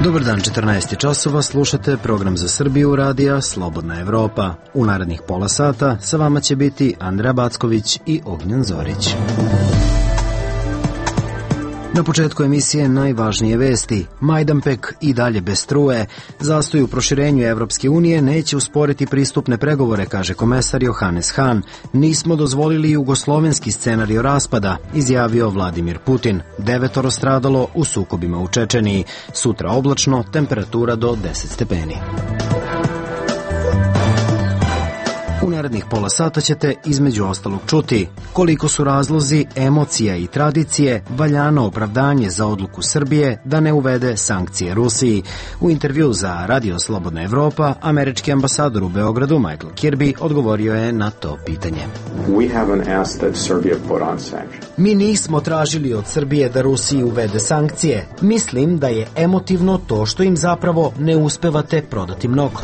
Dobar dan, 14 časova, slušate program za Srbiju radija Slobodna Evropa. U narednih pola sata sa vama će biti Andrea Backović i Ognjen Zorić. Na početku emisije najvažnije vesti. Majdanpek i dalje bez struje. Zastoj u proširenju Evropske unije neće usporiti pristupne pregovore, kaže komesar Johannes Hahn. Nismo dozvolili jugoslovenski scenario raspada, izjavio Vladimir Putin. 9 stradalo u sukobima u Čečeniji. Sutra oblačno, temperatura do 10 stepeni. U narednih pola sata ćete između ostalog čuti koliko su razlozi emocija i tradicije valjano opravdanje za odluku Srbije da ne uvede sankcije Rusiji. U intervju za Radio Slobodna Evropa, američki ambasador u Beogradu Michael Kirby odgovorio je na to pitanje. Mi nismo tražili od Srbije da Rusiji uvede sankcije. Mislim da je emotivno to što im zapravo ne uspevate prodati mnogo.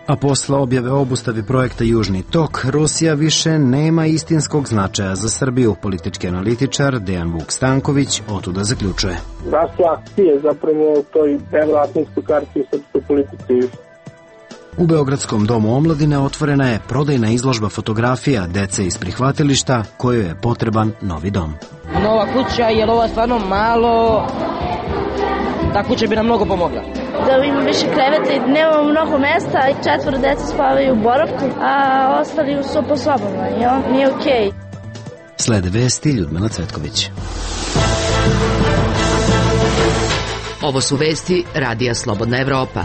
A posle objave obustave projekta Južni tok, Rusija više nema istinskog značaja za Srbiju. Politički analitičar Dejan Vuk Stanković otuda zaključuje. Rastu akcije zapravo u toj evroatlantskoj karti u srpskoj politici. U Beogradskom domu omladine otvorena je prodajna izložba fotografija dece iz prihvatilišta kojoj je potreban novi dom. Nova kuća, jer ovo je stvarno malo, ta kuća bi nam mnogo pomogla. Da ima više kreveta i nemamo mnogo mesta i 4 dece spavaju u boravku, a ostali su po sobama i nije okej. Slede vesti Ljudmila Cvetković. Ovo su vesti Radija Slobodna Evropa.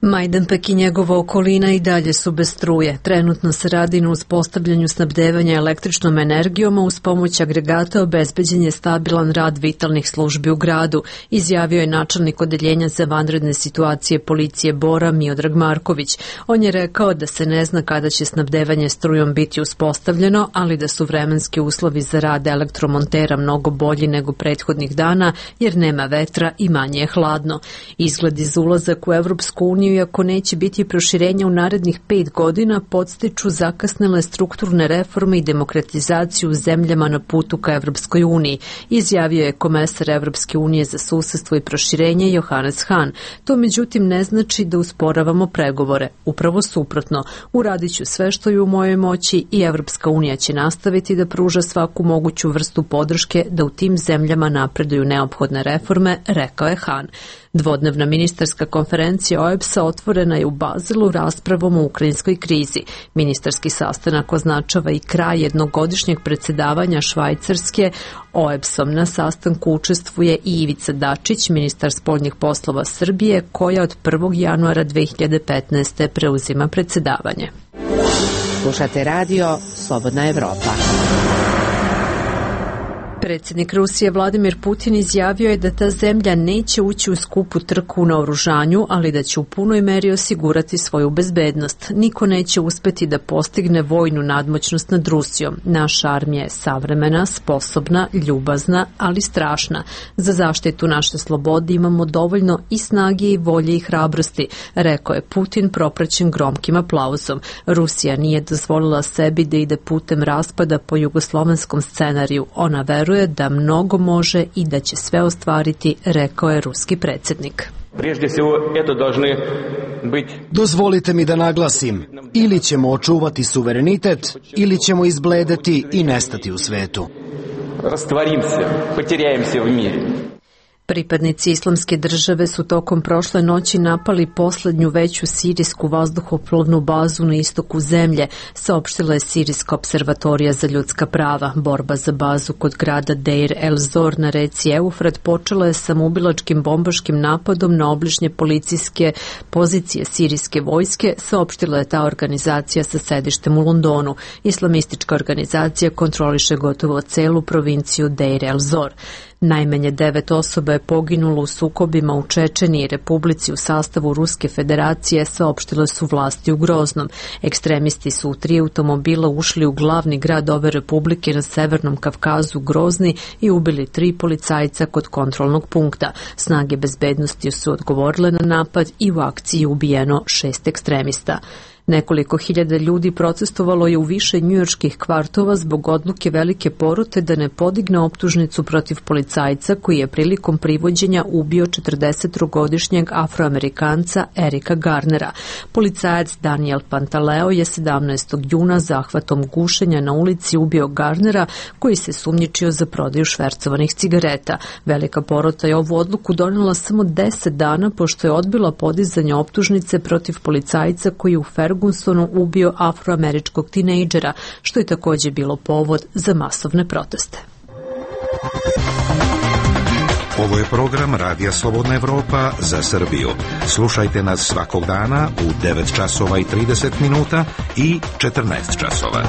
Majdanpek i njegova okolina i dalje su bez struje. Trenutno se radi na uspostavljanju snabdevanja električnom energijom, a uz pomoć agregata obezbeđen je stabilan rad vitalnih službi u gradu, izjavio je načelnik odeljenja za vanredne situacije policije Bora Miodrag Marković. On je rekao da se ne zna kada će snabdevanje strujom biti uspostavljeno, ali da su vremenski uslovi za rad elektromontera mnogo bolji nego prethodnih dana, jer nema vetra i manje je hladno. Izgledi za ulazak u Evropsku uniju, iako neće biti proširenja u narednih 5 godina, podstiču zakasnele strukturne reforme i demokratizaciju u zemljama na putu ka Evropskoj uniji, izjavio je komesar Evropske unije za susedstvo i proširenje Johannes Hahn. To međutim ne znači da usporavamo pregovore. Upravo suprotno, uradit ću sve što je u mojoj moći i Evropska unija će nastaviti da pruža svaku moguću vrstu podrške da u tim zemljama napreduju neophodne reforme, rekao je Hahn. Dvodnevna ministarska konferencija OEBS-a otvorena je u Bazelu raspravom o ukrajinskoj krizi. Ministarski sastanak označava i kraj jednogodišnjeg predsjedavanja Švajcarske OEBS-om. Na sastanku učestvuje i Ivica Dačić, ministar spoljnih poslova Srbije, koja od 1. januara 2015. preuzima predsjedavanje. Slušate radio Slobodna Evropa. Predsjednik Rusije Vladimir Putin izjavio je da ta zemlja neće ući u skupu trku u naoružanju, ali da će u punoj meri osigurati svoju bezbednost. Niko neće uspeti da postigne vojnu nadmoćnost nad Rusijom. Naša armija je savremena, sposobna, ljubazna, ali strašna. Za zaštitu naše slobode imamo dovoljno i snage i volje i hrabrosti, rekao je Putin propraćen gromkim aplauzom. Rusija nije dozvolila sebi da ide putem raspada po jugoslovenskom scenariju. Ona veruje da mnogo može i da će sve ostvariti, rekao je ruski predsjednik. Dozvolite mi da naglasim, ili ćemo očuvati suverenitet, ili ćemo izbledeti i nestati u svetu. Pripadnici Islamske države su tokom prošle noći napali poslednju veću sirijsku vazduhoplovnu bazu na istoku zemlje, saopštila je Sirijska observatorija za ljudska prava. Borba za bazu kod grada Deir el-Zor na reci Eufrat počela je samoubilačkim bombaškim napadom na obližnje policijske pozicije sirijske vojske, saopštila je ta organizacija sa sedištem u Londonu. Islamistička organizacija kontroliše gotovo celu provinciju Deir el-Zor. Najmanje 9 osoba je poginulo u sukobima u Čečeniji i Republici u sastavu Ruske federacije, saopštile su vlasti u Groznom. Ekstremisti su u 3 automobila ušli u glavni grad ove republike na Severnom Kavkazu, Grozni, i ubili 3 policajca kod kontrolnog punkta. Snage bezbednosti su odgovorile na napad i u akciji ubijeno 6 ekstremista. Nekoliko hiljada ljudi protestovalo je u više njujorških kvartova zbog odluke velike porote da ne podigne optužnicu protiv policajca koji je prilikom privođenja ubio 43-godišnjeg Afroamerikanca Erika Garnera. Policajac Daniel Pantaleo je 17. juna zahvatom gušenja na ulici ubio Garnera, koji se sumnjičio za prodaju švercovanih cigareta. Velika porota je ovu odluku donela samo 10 dana pošto je odbila podizanje optužnice protiv policajca koji u Fergusonu ubio afroameričkog tinejdžera, što je također bilo povod za masovne proteste. Ovo je program Radija Slobodna Evropa za Srbiju. Slušajte nas svakog dana u 9 časova i 30 minuta i 14 časova.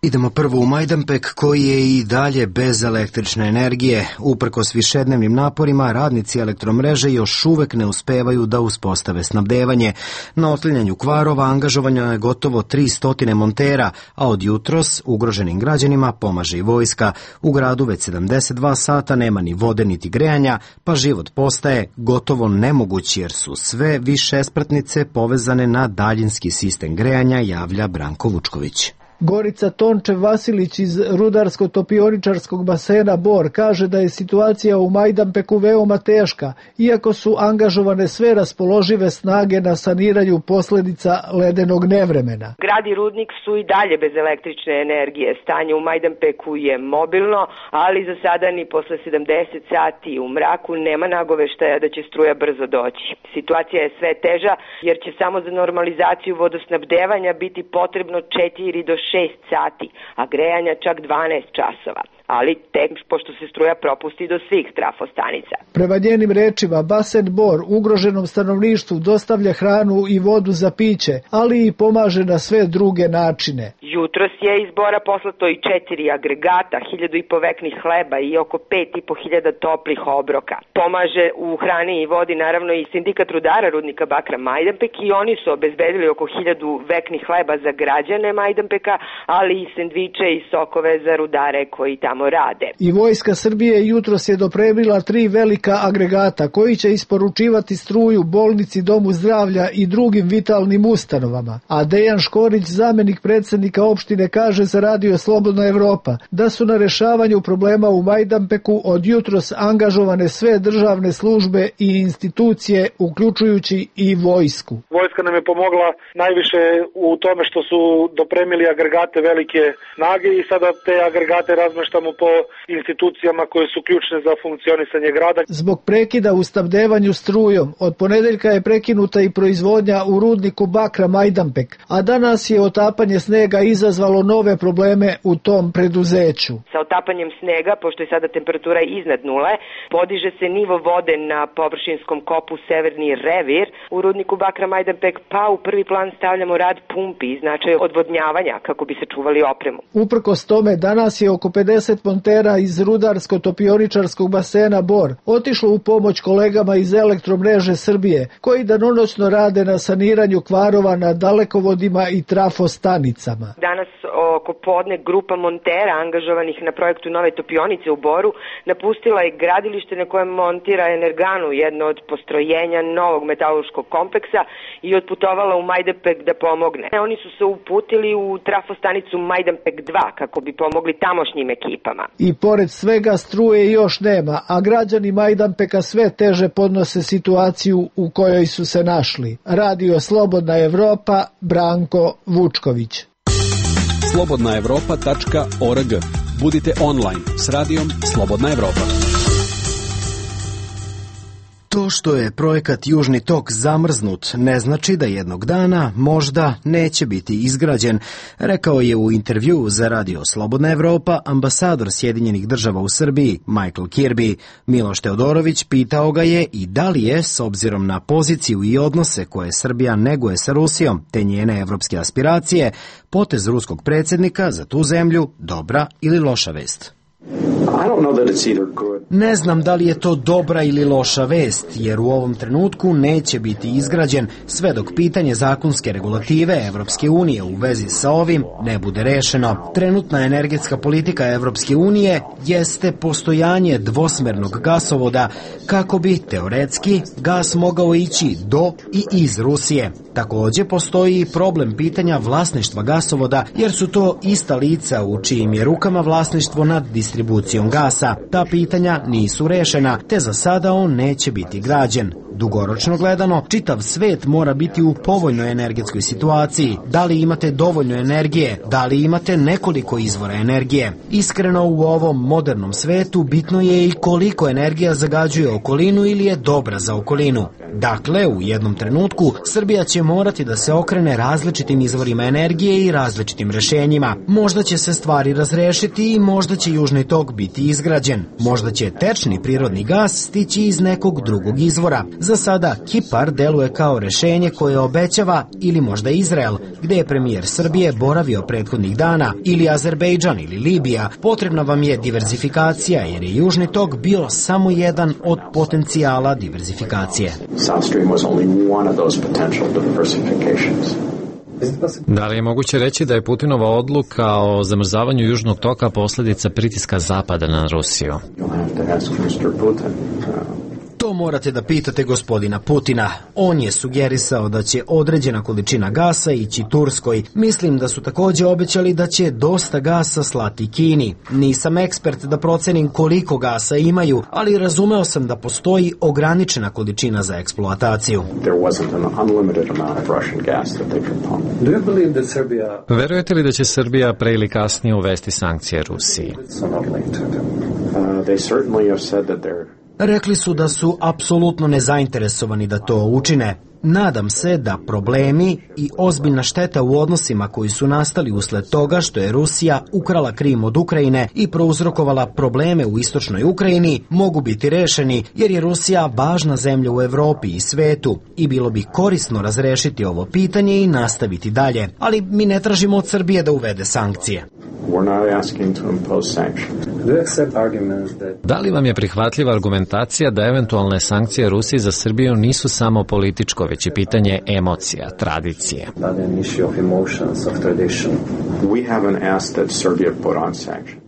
Idemo prvo u Majdanpek, koji je i dalje bez električne energije. Uprkos višednevnim naporima, radnici elektromreže još uvek ne uspevaju da uspostave snabdevanje. Na otklanjanju kvarova angažovano je gotovo 300 montera, a od jutros ugroženim građanima pomaže i vojska. U gradu već 72 sata nema ni vode niti grejanja, pa život postaje gotovo nemoguć jer su sve višespratnice povezane na daljinski sistem grejanja, javlja Branko Vučković. Gorica Tončev-Vasilić iz rudarsko-topioničarskog basena Bor kaže da je situacija u Majdanpeku veoma teška, iako su angažovane sve raspoložive snage na saniranju posljedica ledenog nevremena. Grad i rudnik su i dalje bez električne energije. Stanje u Majdanpeku je mobilno, ali za sada ni posle 70 sati u mraku nema nagoveštaja da će struja brzo doći. Situacija je sve teža jer će samo za normalizaciju vodosnabdevanja biti potrebno 4 do 6 sati, a grejanja čak 12 časova. Ali tek pošto se struja propusti do svih trafostanica. Prema njenim rečima, basen Bor ugroženom stanovništvu dostavlja hranu i vodu za piće, ali i pomaže na sve druge načine. Jutros je iz Bora poslato i 4 agregata, 1000 veknih hleba i oko 5500 toplih obroka. Pomaže u hrani i vodi naravno i sindikat rudara rudnika bakra Majdanpek i oni su obezbedili oko 1000 veknih hleba za građane Majdanpeka, ali i sendviče i sokove za rudare koji tamo rade. I vojska Srbije jutros je dopremila 3 velika agregata koji će isporučivati struju bolnici, domu zdravlja i drugim vitalnim ustanovama. A Dejan Škorić, zamenik predsjednika opštine, kaže za Radio Slobodna Evropa da su na rešavanju problema u Majdanpeku od jutros angažovane sve državne službe i institucije, uključujući i vojsku. Vojska nam je pomogla najviše u tome što su dopremili agregate velike snage i sada te agregate razmeštamo po institucijama koje su ključne za funkcionisanje grada. Zbog prekida u snabdevanju strujom, od ponedeljka je prekinuta i proizvodnja u rudniku bakra Majdanpek, a danas je otapanje snega izazvalo nove probleme u tom preduzeću. Sa otapanjem snega, pošto je sada temperatura iznad nule, podiže se nivo vode na površinskom kopu Severni Revir u rudniku bakra Majdanpek, pa u prvi plan stavljamo rad pumpi i značaj odvodnjavanja kako bi se čuvali opremu. Uprkos tome, danas je oko 50 montera iz rudarsko-topioničarskog basena Bor otišlo u pomoć kolegama iz Elektromreže Srbije, koji danonoćno rade na saniranju kvarova na dalekovodima i trafostanicama. Danas oko podne grupa montera angažovanih na projektu nove topionice u Boru napustila je gradilište na kojem montira Energanu, jedno od postrojenja novog metalurškog kompleksa, i otputovala u Majdanpek da pomogne. Oni su se uputili u trafostanicu Majdanpek 2 kako bi pomogli tamošnjim ekipama. I pored svega struje još nema, a građani Majdanpeka sve teže podnose situaciju u kojoj su se našli. Radio Slobodna Evropa, Branko Vučković. slobodnaevropa.org. Budite online s radijom Slobodna Evropa. To što je projekat Južni tok zamrznut ne znači da jednog dana možda neće biti izgrađen, rekao je u intervjuu za Radio Slobodna Evropa ambasador Sjedinjenih država u Srbiji Michael Kirby. Miloš Teodorović pitao ga je i da li je, s obzirom na poziciju i odnose koje Srbija neguje sa Rusijom te njene evropske aspiracije, potez ruskog predsjednika za tu zemlju dobra ili loša vest. Ne znam da li je to dobra ili loša vest, jer u ovom trenutku neće biti izgrađen sve dok pitanje zakonske regulative Evropske unije u vezi sa ovim ne bude rešeno. Trenutna energetska politika Evropske unije jeste postojanje dvosmernog gasovoda kako bi, teoretski, gas mogao ići do i iz Rusije. Također postoji i problem pitanja vlasništva gasovoda, jer su to ista lica u čijim je rukama vlasništvo nad distribucijom gasa. Ta pitanja nisu rešena, te za sada on neće biti građen. Dugoročno gledano, čitav svet mora biti u povoljnoj energetskoj situaciji. Da li imate dovoljno energije? Da li imate nekoliko izvora energije? Iskreno, u ovom modernom svetu bitno je i koliko energija zagađuje okolinu ili je dobra za okolinu. Dakle, u jednom trenutku Srbija će morati da se okrene različitim izvorima energije i različitim rešenjima. Možda će se stvari razrešiti i možda će Južni tok biti izgrađen. Možda će tečni prirodni gas stići iz nekog drugog izvora. Za sada Kipar deluje kao rešenje koje obećava, ili možda Izrael, gde je premijer Srbije boravio prethodnih dana, ili Azerbejdžan ili Libija. Potrebna vam je diverzifikacija, jer je Južni tok bio samo jedan od potencijala diverzifikacije. Da li je moguće reći da je Putinova odluka o zamrzavanju Južnog toka posljedica pritiska Zapada na Rusiju? To morate da pitate gospodina Putina. On je sugerisao da će određena količina gasa ići Turskoj. Mislim da su također obećali da će dosta gasa slati Kini. Nisam ekspert da procenim koliko gasa imaju, ali razumeo sam da postoji ograničena količina za eksploataciju. Verujete li da će Srbija pre ili kasnije uvesti sankcije Rusiji? Rekli su da su apsolutno nezainteresovani da to učine. Nadam se da problemi i ozbiljna šteta u odnosima koji su nastali usled toga što je Rusija ukrala Krim od Ukrajine i prouzrokovala probleme u istočnoj Ukrajini mogu biti rešeni, jer je Rusija važna zemlja u Evropi i svetu i bilo bi korisno razrešiti ovo pitanje i nastaviti dalje. Ali mi ne tražimo od Srbije da uvede sankcije. Da li vam je prihvatljiva argumentacija da eventualne sankcije Rusiji za Srbiju nisu samo političko, već i pitanje emocija, tradicije?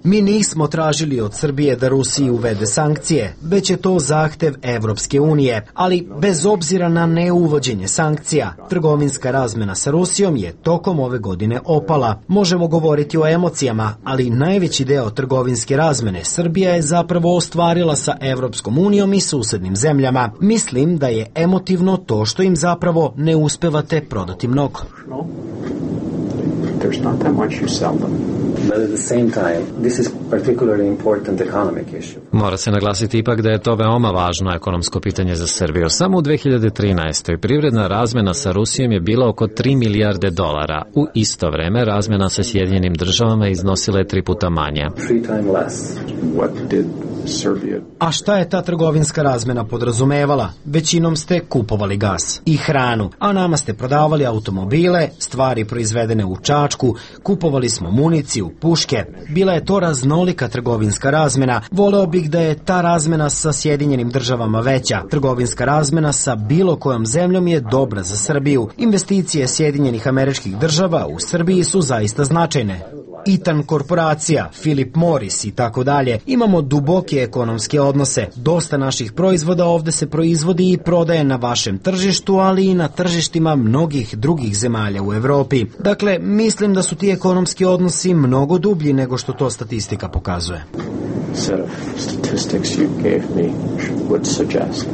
Mi nismo tražili od Srbije da Rusiji uvede sankcije, već je to zahtev Evropske unije, ali bez obzira na neuvođenje sankcija, trgovinska razmena sa Rusijom je tokom ove godine opala. Možemo govoriti o emocijama, ali najveći deo trgovinske razmene Srbija je zapravo ostvarila sa Evropskom unijom i susednim zemljama. Mislim da je emotivno to što im zapravo ne uspevate prodati mnogo. Mora se naglasiti ipak da je to veoma važno ekonomsko pitanje za Srbiju. Samo u 2013. privredna razmena sa Rusijom je bila oko 3 milijarde dolara. U isto vreme razmena sa Sjedinjenim državama iznosila je 3 puta manje. A šta je ta trgovinska razmena podrazumevala? Većinom ste kupovali gas i hranu, a nama ste prodavali automobile, stvari proizvedene u Čačku, kupovali smo municiju, puške. Bila je to raznolika trgovinska razmena. Voleo bih da je ta razmena sa Sjedinjenim državama veća. Trgovinska razmena sa bilo kojom zemljom je dobra za Srbiju. Investicije Sjedinjenih Američkih Država u Srbiji su zaista značajne. Eaton korporacija, Philip Morris i tako dalje. Imamo duboke ekonomske odnose. Dosta naših proizvoda ovde se proizvodi i prodaje na vašem tržištu, ali i na tržištima mnogih drugih zemalja u Evropi. Dakle, mislim da su ti ekonomski odnosi mnogo dublji nego što to statistika pokazuje. set of statistics you gave me would suggest.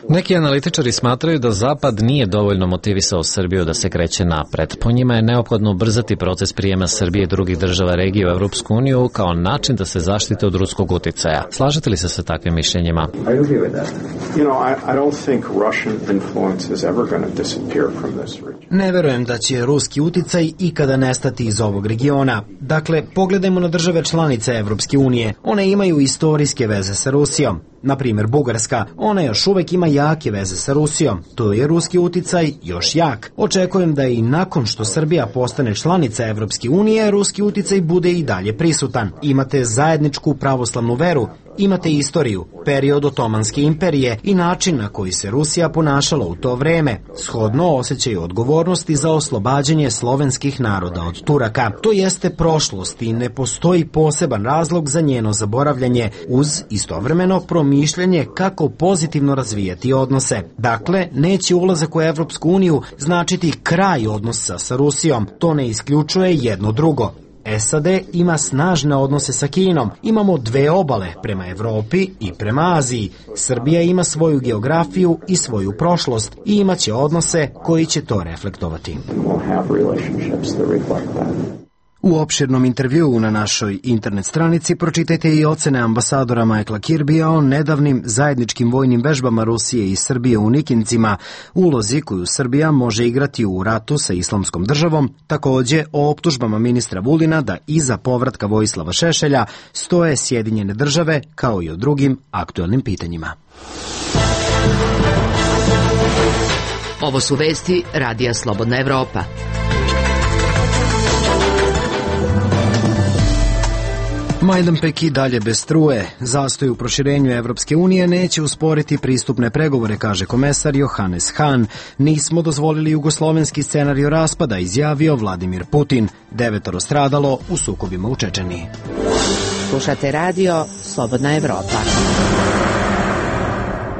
Neki analitičari smatraju da Zapad nije dovoljno motivisao Srbiju da se kreće napred. Po njima je neophodno ubrzati proces prijema Srbije i drugih država regije u Evropsku uniju kao način da se zaštite od ruskog uticaja. Slažete li se sa takvim mišljenjima? Ne verujem da će ruski uticaj ikada nestati iz ovog regiona. Dakle, pogledajmo na države članice Evropske unije. One imaju istorijske veze sa Rusijom. Na primjer, Bugarska, ona još uvek ima jake veze sa Rusijom. To je ruski uticaj još jak. Očekujem da i nakon što Srbija postane članica Evropske unije, ruski uticaj bude i dalje prisutan. Imate zajedničku pravoslavnu veru, imate istoriju, period Otomanske imperije i način na koji se Rusija ponašala u to vreme, shodno osjećaju odgovornosti za oslobađanje slovenskih naroda od Turaka. To jeste prošlost i ne postoji poseban razlog za njeno zaboravljanje, uz istovremeno promišljanje kako pozitivno razvijati odnose. Dakle, neće ulazak u Evropsku uniju značiti kraj odnosa sa Rusijom, to ne isključuje jedno drugo. SAD ima snažne odnose sa Kinom, imamo dve obale prema Evropi i prema Aziji. Srbija ima svoju geografiju i svoju prošlost i imaće odnose koji će to reflektovati. U opširnom intervjuu na našoj internet stranici pročitajte i ocene ambasadora Michaela Kirbya o nedavnim zajedničkim vojnim vežbama Rusije i Srbije u Nikincima, ulozi koju Srbija može igrati u ratu sa Islamskom državom, takođe o optužbama ministra Vulina da iza povratka Vojislava Šešelja stoje Sjedinjene države, kao i o drugim aktuelnim pitanjima. Ovo su vesti Radija Slobodna Evropa. Majdanpek i dalje bez struje. Zastoj u proširenju Evropske unije neće usporiti pristupne pregovore, kaže komesar Johannes Hahn. Nismo dozvolili jugoslovenski scenario raspada, izjavio Vladimir Putin. 9 stradalo u sukobima u Čečeniji. Slušate radio Slobodna Evropa.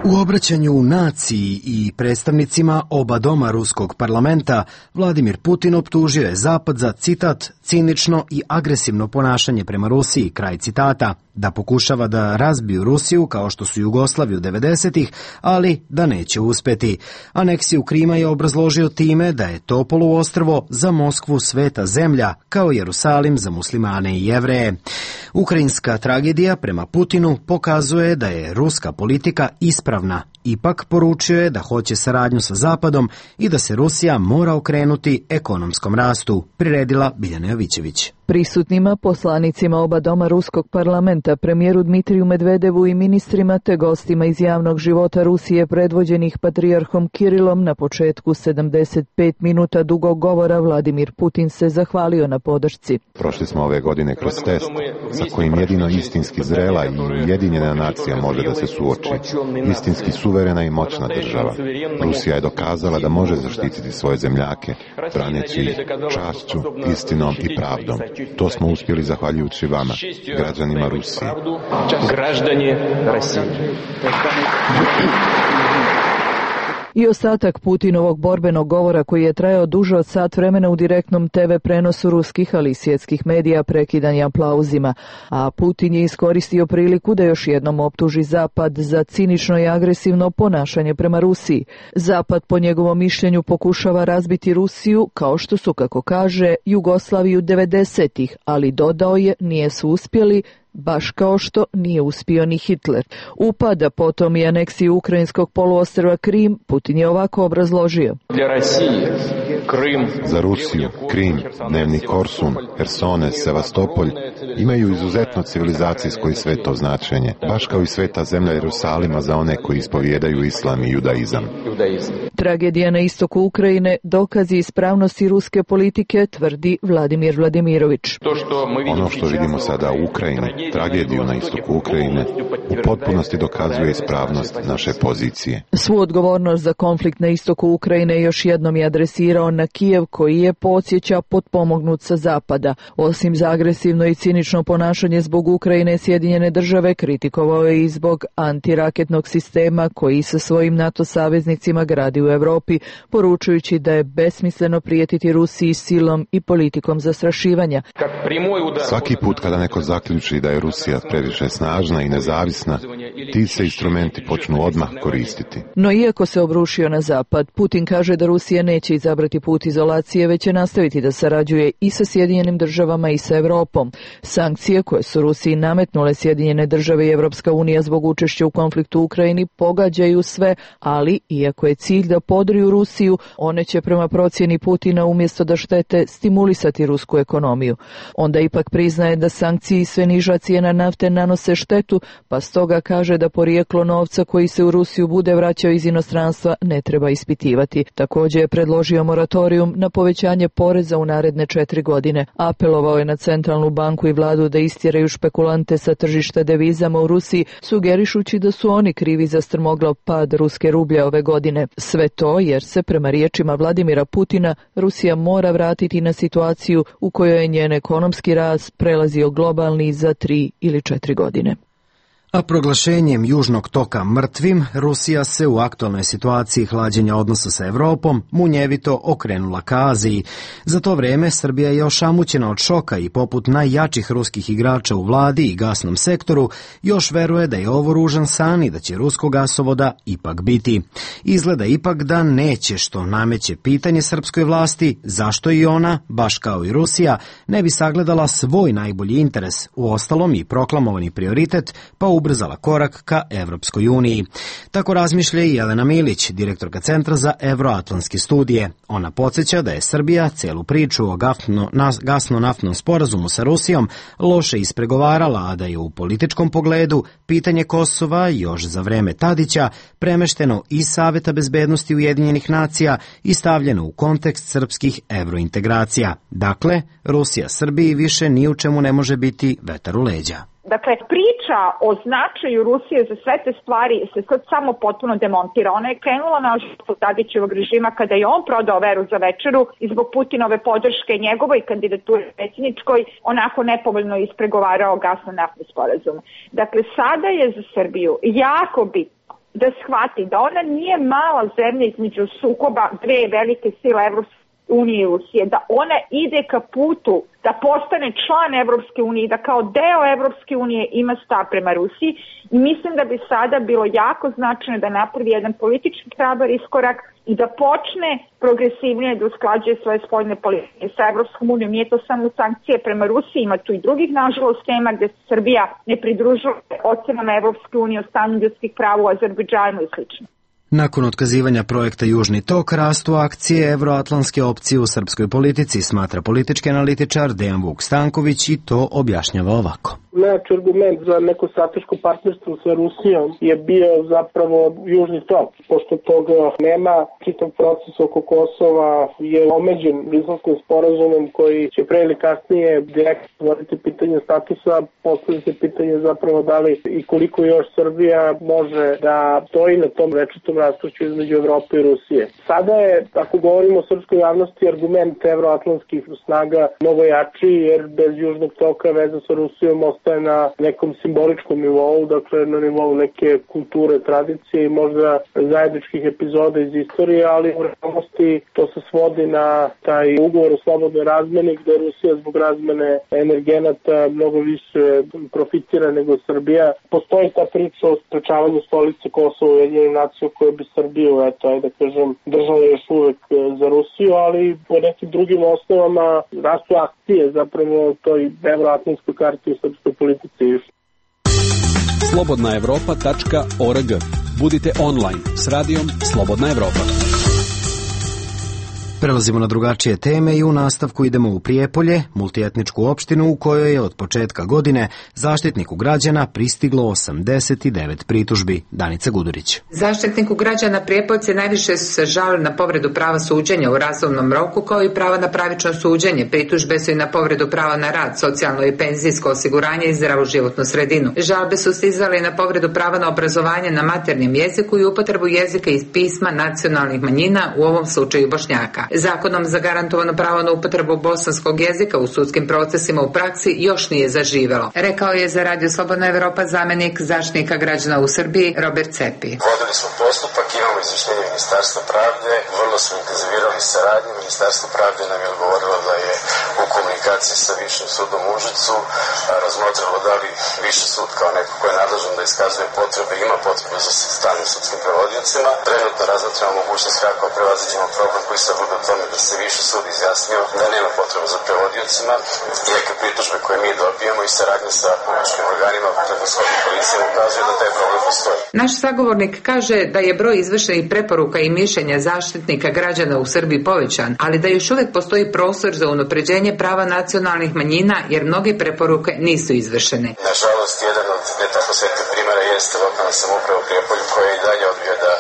U obraćanju naciji i predstavnicima oba doma ruskog parlamenta, Vladimir Putin optužio je Zapad za, citat, cinično i agresivno ponašanje prema Rusiji, kraj citata, da pokušava da razbiju Rusiju kao što su Jugoslaviju 90-ih, ali da neće uspeti. Aneksiju Krima je obrazložio time da je to poluostrvo za Moskvu sveta zemlja, kao Jerusalim za muslimane i Jevreje. Ukrajinska tragedija prema Putinu pokazuje da je ruska politika ispravna. Ipak poručio je da hoće saradnju sa Zapadom i da se Rusija mora okrenuti ekonomskom rastu, priredila Biljana Jovićević. Prisutnima, poslanicima oba doma ruskog parlamenta, premijeru Dmitriju Medvedevu i ministrima te gostima iz javnog života Rusije predvođenih patrijarhom Kirilom na početku 75 minuta dugog govora Vladimir Putin se zahvalio na podršci. Prošli smo ove godine kroz test sa kojim jedino istinski zrela i ujedinjena nacija može da se suoči. Istinski suverena i moćna država. Rusija je dokazala da može zaštititi svoje zemljake, braneći ih čašću, istinom i pravdom. To smo uspjeli zahvaljujući vama, građanima Rusije. I ostatak Putinovog borbenog govora koji je trajao duže od sat vremena u direktnom TV prenosu ruskih, ali i svjetskih medija prekidan je aplauzima, a Putin je iskoristio priliku da još jednom optuži Zapad za cinično i agresivno ponašanje prema Rusiji. Zapad po njegovom mišljenju pokušava razbiti Rusiju kao što su, kako kaže, Jugoslaviju 90-ih, ali dodao je nije su uspjeli, baš kao što nije uspio ni Hitler. Upada potom i aneksiju ukrajinskog poluostrva Krim, Putin je ovako obrazložio. Za Rusiju, Krim, dnevni Korsun, Hersone, Sevastopolj imaju izuzetno civilizacijsko i sveto značenje, baš kao i sveta zemlja Jerusalima za one koji ispovijedaju islam i judaizam. Tragedija na istoku Ukrajine dokazi ispravnosti ruske politike, tvrdi Vladimir Vladimirović. Ono što vidimo sada u Ukrajini tragediju na istoku Ukrajine u potpunosti dokazuje ispravnost naše pozicije. Svu odgovornost za konflikt na istoku Ukrajine još jednom je adresirao na Kijev, koji je, podsjeća, potpomognut sa zapada. Osim za agresivno i cinično ponašanje zbog Ukrajine, Sjedinjene države kritikovao je i zbog antiraketnog sistema koji sa svojim NATO saveznicima gradi u Europi, poručujući da je besmisleno prijetiti Rusiji silom i politikom zastrašivanja. Svaki put kada neko zaključi da je Rusija previše snažna i nezavisna, ti se instrumenti počnu odmah koristiti. No iako se obrušio na zapad, Putin kaže da Rusija neće izabrati put izolacije, već će nastaviti da sarađuje i sa Sjedinjenim državama i sa Europom. Sankcije koje su Rusiji nametnule Sjedinjene države i Evropska unija zbog učešća u konfliktu u Ukrajini pogađaju sve, ali iako je cilj da podriju Rusiju, one će prema procjeni Putina umjesto da štete stimulisati rusku ekonomiju. Onda ipak priznaje da sankcije i sve niža cijena nafte nanose štetu, pa stoga kaže da porijeklo novca koji se u Rusiju bude vraćao iz inostranstva ne treba ispitivati. Također je predložio moratorijum na povećanje poreza u naredne 4 godine. Apelovao je na centralnu banku i vladu da istjeraju špekulante sa tržišta devizama u Rusiji, sugerišući da su oni krivi za strmoglav pad ruske rublje ove godine. Sve to jer se, prema riječima Vladimira Putina, Rusija mora vratiti na situaciju u kojoj je njen ekonomski rast prelazio globalni za 3 ili 4 godine. A proglašenjem Južnog toka mrtvim, Rusija se u aktualnoj situaciji hlađenja odnosa sa Evropom munjevito okrenula ka Aziji. Za to vrijeme Srbija je ošamućena od šoka i poput najjačih ruskih igrača u vladi i gasnom sektoru još veruje da je ovo ružan san i da će ruskog gasovoda ipak biti. Izgleda ipak da neće, što nameće pitanje srpskoj vlasti zašto i ona, baš kao i Rusija, ne bi sagledala svoj najbolji interes, uostalom i proklamovani prioritet, pa ubrzala korak ka Evropskoj uniji. Tako razmišlja i Jelena Milić, direktorka Centra za evroatlantske studije. Ona podsjeća da je Srbija celu priču o gasno-naftnom sporazumu sa Rusijom loše ispregovarala, a da je u političkom pogledu pitanje Kosova još za vreme Tadića premešteno iz Saveta bezbednosti Ujedinjenih nacija i stavljeno u kontekst srpskih evrointegracija. Dakle, Rusija Srbiji više ni u čemu ne može biti vetar u leđa. Dakle, priča o značaju Rusije za sve te stvari se sad samo potpuno demontira. Ona je krenula na Tadićevog režima kada je on prodao veru za večeru i zbog Putinove podrške njegovoj kandidaturi predsjedničkoj onako nepovoljno ispregovarao gasno-naftni sporazum. Dakle, sada je za Srbiju jako bitno da shvati da ona nije mala zemlja između sukoba dve velike sile Evropske unije i Rusije, da ona ide ka putu da postane član Evropske unije i da kao deo Evropske unije ima stav prema Rusiji, i mislim da bi sada bilo jako značajno da napravi jedan politički hrabar iskorak i da počne progresivnije da usklađuje svoje spoljne politike sa Evropskom unijom. Nije to samo sankcije prema Rusiji, ima tu i drugih, nažalost, tema gde se Srbija ne pridružuje ocenama Evropske unije o stanju ljudskih prava u Azerbejdžanu i sl. Nakon otkazivanja projekta Južni tok rastu akcije evroatlantske opcije u srpskoj politici, smatra politički analitičar Dejan Vuk Stanković i to objašnjava ovako. Najjači argument za neko strateško partnerstvo sa Rusijom je bio zapravo Južni tok. Pošto toga nema, čitav proces oko Kosova je omeđen Briselskim sporazumom koji će pre ili kasnije direktno stvoriti pitanje statusa, postavlja se pitanje zapravo da li i koliko još Srbija može da stoji na tom večitom rastuću između Evrope i Rusije. Sada je, ako govorimo o srpskoj javnosti, argument evroatlantskih snaga mnogo jači, jer bez Južnog toka veza sa Rusijom ostaje na nekom simboličkom nivou, dakle na nivou neke kulture, tradicije i možda zajedničkih epizoda iz istorije, ali u realnosti to se svodi na taj ugovor o slobodnoj razmeni gde Rusija zbog razmene energenata mnogo više profitira nego Srbija. Postoji ta priča o sprečavanju stolice Kosova u Ujedinjenim nacijama koje bi Srbiju, da kažem, držala još uvek za Rusiju, ali po nekim drugim osnovama rastu akcije zapravo toj evroatlantskoj karti u srpskoj politici. slobodnaevropa.org. Budite online s radijom Slobodna Evropa. Prelazimo na drugačije teme i u nastavku idemo u Prijepolje, multietničku opštinu u kojoj je od početka godine Zaštitniku građana pristiglo 89 pritužbi. Danica Gudurić. Zaštitniku građana Prijepoljci najviše su se žalili na povredu prava suđenja u razumnom roku, kao i prava na pravično suđenje. Pritužbe su i na povredu prava na rad, socijalno i penzijsko osiguranje i zdravu životnu sredinu. Žalbe su stizale i na povredu prava na obrazovanje na maternjem jeziku i upotrebu jezika i pisma nacionalnih manjina, u ovom slučaju Bošnjaka. Zakonom zagarantovano pravo na upotrebu bosanskog jezika u sudskim procesima u praksi još nije zaživelo, rekao je za Radio Slobodna Evropa zamjenik Zaštitnika građana u Srbiji Robert Cepi. Vodili smo postupak, imamo izvještenje Ministarstva pravde, vrlo smo intenzivirali saradnju. Ministarstvo pravde nam je odgovorilo da je u komunikaciji sa Višim sudom u Užicu razmotrilo da li Viši sud kao neko ko je nadležan da iskazuje potrebe, ima potrebu za stalnim sudskim prevodiocima. Trenutno razmatramo mogućnost kako prevaziđemo problem koji se vodi o tome da se Viši sud izjasnio da nema potrebe za prevodiocima, iako pritužbe koje mi dobijamo i saradnje sa publičkim organima, preko shodne policije ukazuje da taj problem postoji. Naš sagovornik kaže da je broj izvršenih preporuka i mišljenja Zaštitnika građana u Srbiji povećan, ali da još uvijek postoji prostor za unapređenje prava nacionalnih manjina jer mnoge preporuke nisu izvršene. Nažalost, jedan od ne tako svetih primjera jeste lokalna samouprava u Prijepolju koja i dalje odbija da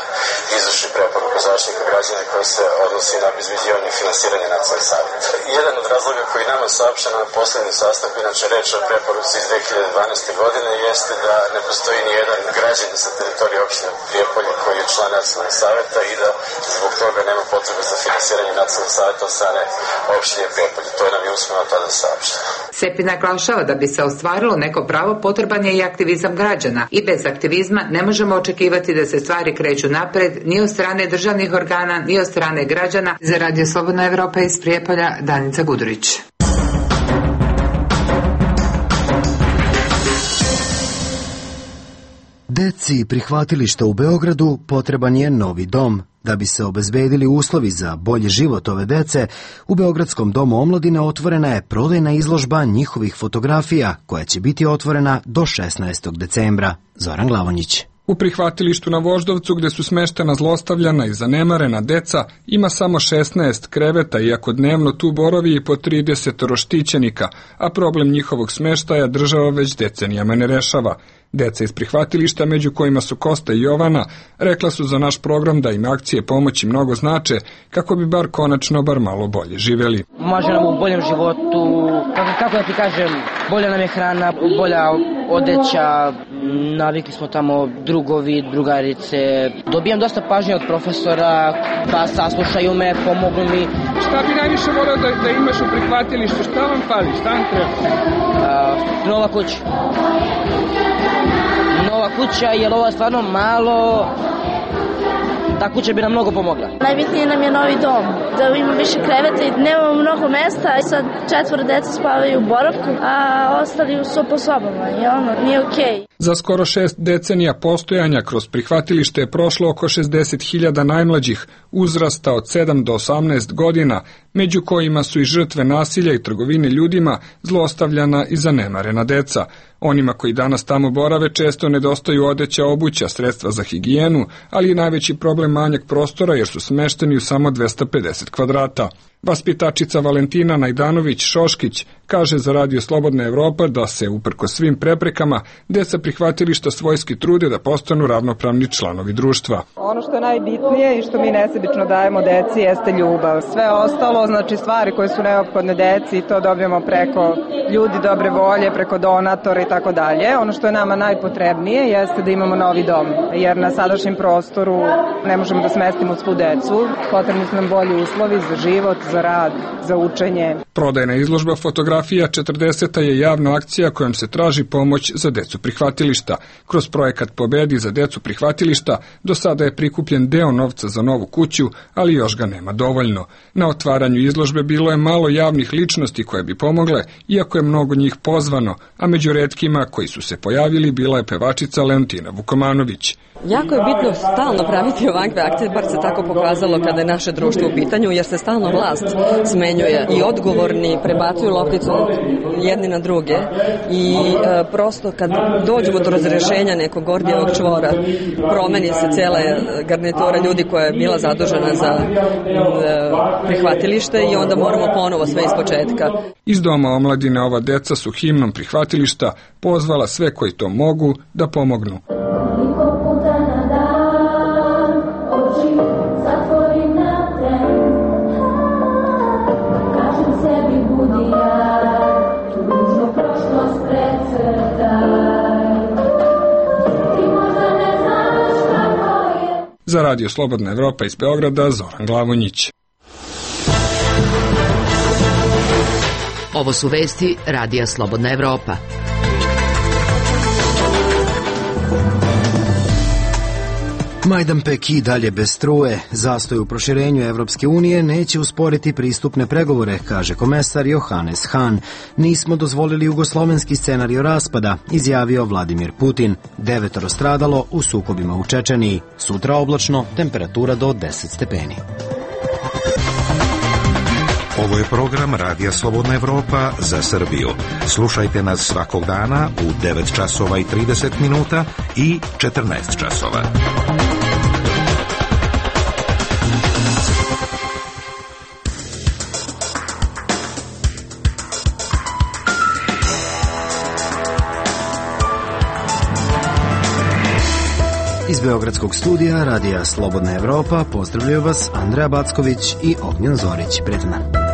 izvrši preporuku Zaštitnika građana koja se odnosi na obezbeđivanje i finansiranje nacionalnih savjeta. Jedan od razloga koji nama saopšten na poslednjem sastanku, inače reč o preporuci iz 2012. godine, jeste da ne postoji ni jedan građanin sa teritorije opštine Prijepolje koji je član nacionalnog savjeta i da zbog toga nema potrebe za finansiranje nacionalnog savjeta od strane opštine Prijepolje. To je nam je usmeno tada saopšteno. Sepi naglašava da bi se ostvarilo neko pravo potreban je i aktivizam građana i bez aktivizma ne možemo očekivati da se stvari kreću napred ni od strane državnih organa ni od strane građana. Za Radio Slobodna Evropa iz Prijepolja, Danica Gudurić. Deci prihvatilišta u Beogradu potreban je novi dom. Da bi se obezbedili uslovi za bolji život ove dece, u Beogradskom domu omladine otvorena je prodajna izložba njihovih fotografija, koja će biti otvorena do 16. decembra. Zoran Glavonjić. U prihvatilištu na Voždovcu, gde su smeštena zlostavljana i zanemarena deca, ima samo 16 kreveta, iako dnevno tu boravi i po 30 štićenika, a problem njihovog smeštaja država već decenijama ne rešava. Deca iz prihvatilišta, među kojima su Kosta i Jovana, rekla su za naš program da im akcije pomoći mnogo znače, kako bi bar konačno bar malo bolje živeli. Može nam u boljem životu, kako da ti kažem, bolja nam je hrana, bolja odeća, navikli smo tamo drugovi, drugarice. Dobijam dosta pažnje od profesora, pa saslušaju me, pomognu mi. Šta bi najviše voleo da imaš u prihvatilištu? Šta vam fali? Šta vam treba? Nova kuća. Nova kuća, jer ovo je stvarno malo, ta kuća bi nam mnogo pomogla. Najbitnije nam je novi dom, da ima više kreveta i nemamo mnogo mesta, i sad 4 deca spavaju u boravku, a ostali su po sobama i nije okej. Za skoro 6 decenija postojanja kroz prihvatilište je prošlo oko 60.000 najmlađih uzrasta od 7 do 18 godina, među kojima su i žrtve nasilja i trgovine ljudima, zlostavljana i zanemarena deca. Onima koji danas tamo borave često nedostaju odeća, obuća, sredstva za higijenu, ali i najveći problem manjak prostora jer su smešteni u samo 250 kvadrata. Vaspitačica Valentina Najdanović-Šoškić kaže za Radio Slobodna Evropa da se, uprkos svim preprekama, deca prihvatilišta svojski trude da postanu ravnopravni članovi društva. Ono što je najbitnije i što mi nesebično dajemo deci jeste ljubav. Sve ostalo, znači stvari koje su neophodne deci, to dobijemo preko ljudi dobre volje, preko donatora i tako dalje. Ono što je nama najpotrebnije jeste da imamo novi dom, jer na sadašnjem prostoru ne možemo da smestimo svu decu. Potrebni su nam bolji uslovi za život, za rad, za učenje. Prodajna izložba fotografija 40. je javna akcija kojom se traži pomoć za decu prihvatilišta. Kroz projekat Pobedi za decu prihvatilišta do sada je prikupljen deo novca za novu kuću, ali još ga nema dovoljno. Na otvaranju izložbe bilo je malo javnih ličnosti koje bi pomogle, iako je mnogo njih pozvano, a među retkima koji su se pojavili bila je pevačica Leontina Vukomanović. Jako je bitno stalno praviti ovakve akcije, bar se tako pokazalo kada je naše društvo u pitanju, jer se stalno vlast vlast smenjuje i odgovorni prebacuju lopticu jedni na druge i prosto kad dođemo do razrešenja nekog Gordijevog čvora, promeni se cijela garnitura ljudi koja je bila zadužena za prihvatilište i onda moramo ponovo sve ispočetka. Iz Doma omladine ova deca su himnom prihvatilišta pozvala sve koji to mogu da pomognu. Za Radio Slobodna Evropa iz Beograda, Zoran Glavonjić. Ovo su vesti Radija Slobodna Evropa. Majdanpek i dalje bez struje. Zastoj u proširenju Evropske unije neće usporiti pristupne pregovore, kaže komesar Johannes Hahn. Nismo dozvolili jugoslovenski scenario raspada, izjavio Vladimir Putin. 9 stradalo u sukobima u Čečeniji. Sutra oblačno, temperatura do 10 stepeni. Ovo je program Radija Slobodna Evropa za Srbiju. Slušajte nas svakog dana u 9 časova i 30 minuta i 14 časova. Iz Beogradskog studija Radija Slobodna Evropa pozdravljaju vas Andreja Backović i Ognjen Zorić. Prijatno.